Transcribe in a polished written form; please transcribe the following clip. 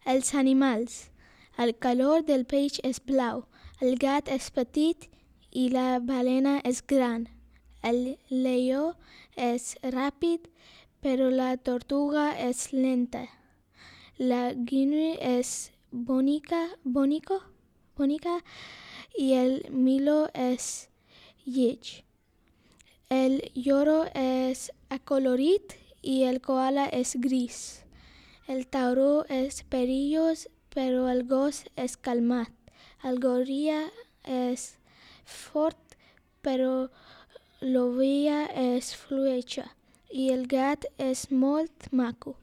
Els animals. El color del peix és blau, el gat és petit i la balena és gran. El lleó és ràpid, però la tortuga és lenta. La guinea és bonica i el milo és lleig. El lloro és acolorit i el koala és gris. El tauró és perillós, però el gos és calmat. El goril·la és fort, però l'ovella és fluixa i el gat és molt maco.